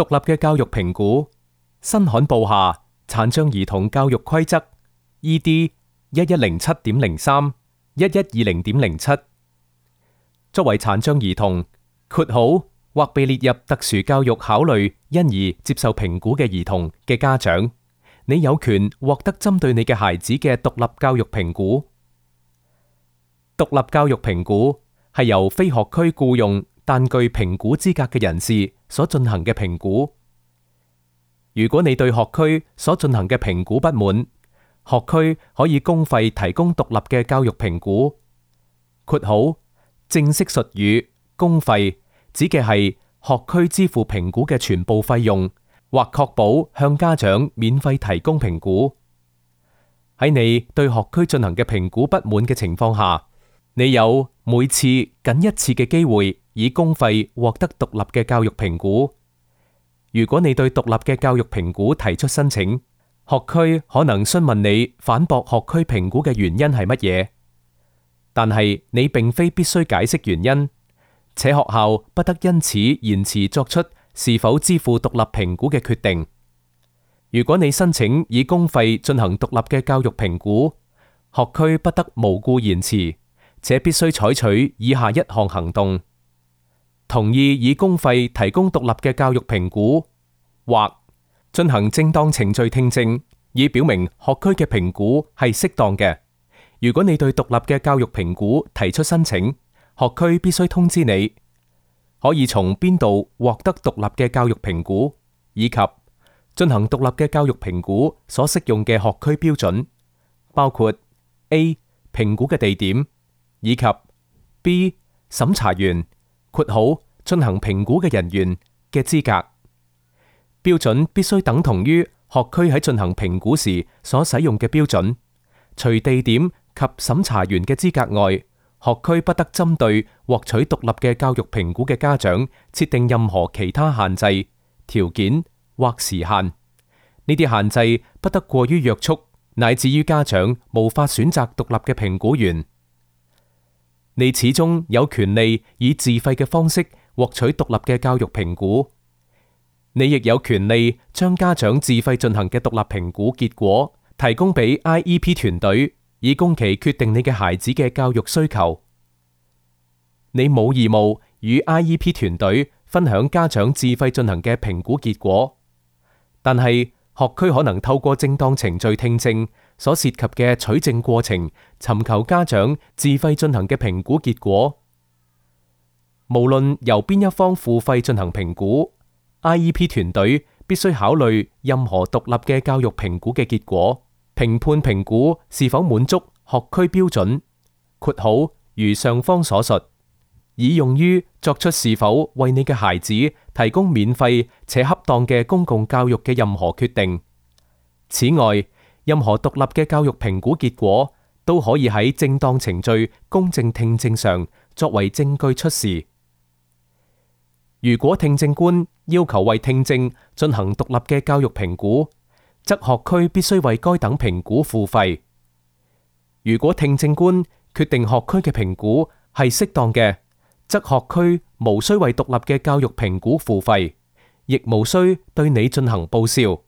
獨立嘅教育評估，新刊報下殘障兒童教育規則 ED 1107.03 1120.07。作為殘障兒童（括號或被列入特殊教育考慮因而接受評估嘅兒童）嘅家長，你有權獲得針對你嘅孩子嘅獨立教育評估。獨立教育評估係由非學區僱用但具評估資格嘅人士所進行嘅評估。如果你對學區所進行嘅評估不滿，學區可以公費提供獨立嘅教育評估。括號正式術語公費指嘅係學區支付評估嘅全部費用，或確保向家長免費提供評估。喺你對學區進行嘅評估不滿嘅情況下，你有每次僅一次嘅機會以公費獲得獨立嘅教育評估。如果你對獨立嘅教育評估提出申請，學區可能詢問你反駁學區評估嘅原因係乜嘢，但係你並非必須解釋原因，且學校不得因此延遲作出是否支付獨立評估嘅決定。如果你申請以公費進行獨立嘅教育評估，學區不得無故延遲，且必須採取以下一項行動：同意以公費提供獨立嘅教育評估，或進行正當程序聽證，以表明學區嘅評估係適當嘅。如果你對獨立嘅教育評估提出申請，學區必須通知你可以從邊度獲得獨立嘅教育評估，以及進行獨立嘅教育評估所適用嘅學區標準，包括 A 評估嘅地點，以及 B 審查員（括號進行評估嘅人員）嘅資格。標準必須等同於學區喺進行評估時所使用嘅標準。除地點及審查員嘅資格外，學區不得針對獲取獨立嘅教育評估嘅家長設定任何其他限制、條件或時限。呢啲限制不得過於約束，乃至於家長無法選擇獨立嘅評估員。你始終有權利以自費嘅方式獲取獨立嘅教育評估。你亦有權利將家長自費進行嘅獨立評估結果提供俾 IEP 團隊，以供其決定你嘅孩子嘅教育需求。你冇義務與 IEP 團隊分享家長自費進行嘅評估結果，但係學區可能透過正當程序聽證所涉及嘅取證過程，尋求家長自費進行嘅評估結果。無論由邊一方付費進行評估，IEP 團隊必須考慮任何獨立嘅教育評估嘅結果，評判評估是否滿足學區標準（括號如上方所述），以用於作出是否為你嘅孩子提供免費且恰當嘅公共教育嘅任何決定。此外，任何獨立嘅教育評估結果都可以喺正當程序公正聽證上作為證據出示。如果聽證官要求為聽證進行獨立嘅教育評估，則學區必須為該等評估付費。如果聽證官決定學區嘅評估係適當嘅，則學區無需為獨立嘅教育評估付費，亦無需對你進行報銷。